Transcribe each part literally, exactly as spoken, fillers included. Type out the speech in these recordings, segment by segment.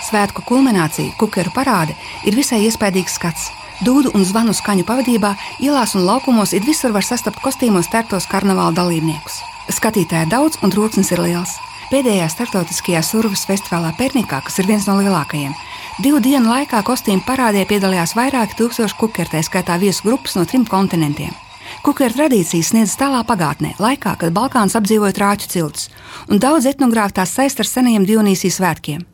Svētku kulminācija, kukeru parāde, ir visai iespaidīgs skats. Dūdu un zvanu skaņu pavadībā ielās un laukumos it visur var sastapt kostīmos tērptos karnevāla dalībniekus. Skatītāju daudz un troksnis ir liels. Pēdējā starptautiskajā surves festivālā Pernikā, kas ir viens no lielākajiem, divu dienu laikā kostīmu parādē piedalījās vairāki tūkstoši kukeru, tā skaitā viesu grupas no trim kontinentiem. Kukeru tradīcijas sniedz tālā pagātnē, laikā, kad Balkāns apdzīvoja trāķu ciltis, un daudz etnogrāfi tās saist ar senajiem Dionīsijas svētkiem.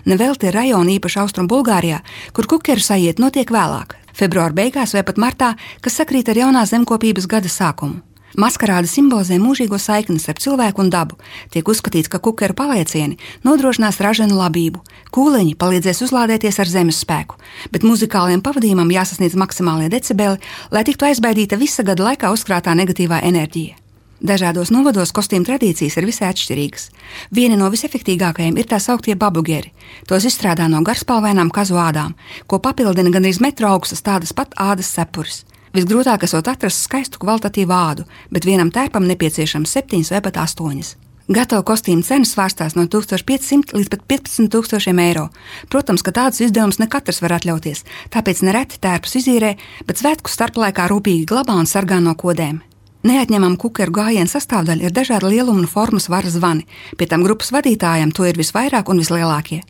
Nevelti ir rajoni īpaši Austrum Bulgārijā, kur kukeru sajiet notiek vēlāk, februāra beigās vai pat martā, kas sakrīt ar jaunā zemkopības gada sākumu. Maskarāde simbolizē mūžīgo saikni starp cilvēku un dabu. Tiek uzskatīts, ka kukeru paliecieni nodrošinās raženu labību, kūleņi palīdzēs uzlādēties ar zemes spēku, bet muzikāliem pavadījumam jāsasniedz maksimālie decibeli, lai tiktu aizbaidīta visa gada laikā uzkrātā negatīvā enerģija. Dažādos novados kostīmu tradīcijas ir visai atšķirīgas. Viena no visefektīgākajiem ir tā sauktie babugeri. Tos izstrādā no garspalvainām kazu ādām, ko papildina gandrīz metru augstas tādas pat ādas sepuris. Visgrūtāk esot atrast skaistu kvalitatīvu ādu, bet vienam tērpam nepieciešams septiņas vai pat astoņas. Gatavu kostīmu cenas svārstās no tūkstoš piecsimt līdz pat piecpadsmit tūkstošiem eiro. Protams, ka tādus izdevumus ne katrs var atļauties, tāpēc nereti tērpus izīrē, bet svētku starplaikā rūpīgi glabā un sargā no kodēm. Neatņemama kukeru gājiena sastāvdaļa ir dažāda lieluma un formas varas zvani, pie tam grupas vadītājiem to ir visvairāk un vislielākie.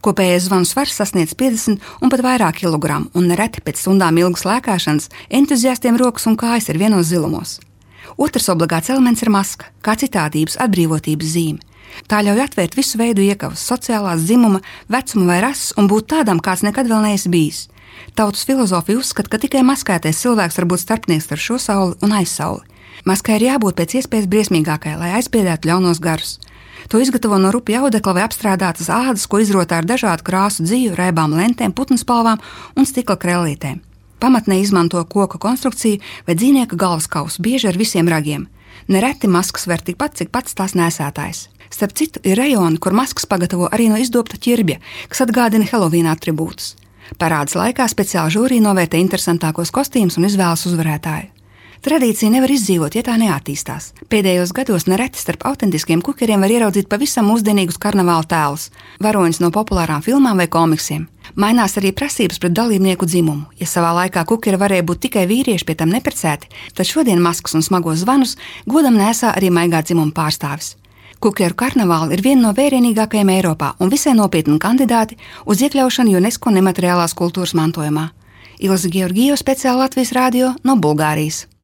Kopējais zvanu svars sasniedz piecdesmit un pat vairāk kilogramu, un nereti pēc stundām ilgas lēkāšanas entuziastiem rokas un kājas ir vienos zilumos. Otrs obligāts elements ir maska, kā citādības, atbrīvotības zīme. Tā ļauj atvērt visu veidu iekavas, sociālās, dzimuma, vecuma vai rases un būt tādam, kāds nekad vēl neesi bijis. Tautas filozofija uzskata, ka tikai maskētais cilvēks var būt starpnieks ar šo sauli un aizsauli. Maskai ir jābūt pēc iespējas briesmīgākai, lai aizbiedētu ļaunos garus. To izgatavo no rupja audekla vai apstrādātas ādas, ko izrotā ar dažādu krāsu dzīvu, raibām lentēm, putnspalvām un stikla krellītēm. Pamatnē izmanto koka konstrukciju vai dzīvnieka galvaskausu, bieži ar visiem ragiem. Nereti maskas ver tikpat, cik pats tās nēsētājs. Starp citu, ir rajoni, kur maskas pagatavo arī no izdobta ķirbja, kas atgādina Helovīna atribūtus. Parādes laikā speciāli žūrī novērtē interesantākos kostīmus un izvēlas uzvarētāju. Tradīcija nevar izdzīvot, ja tā neattīstās. Pēdējos gados nereti starp autentiskiem kukeriem var ieraudzīt pavisam mūsdienīgus karnevāla tēlus, varoņus no populārām filmām vai komiksiem. Mainās arī prasības pret dalībnieku dzimumu. Ja savā laikā kukeri varēja būt tikai vīrieši, pie tam neprecēti, tad šodien maskas un smagos zvanus godam nēsā arī maigā dzimuma pārstāvis. Kukeru karnevāli ir viena no vērienīgākajiem Eiropā un visai nopietni kandidāti uz iekļaušanu UNESCO nemateriālās kultūras mantojumā. Ilze Georgijeva, speciāli Latvijas radio no Bulgārijas.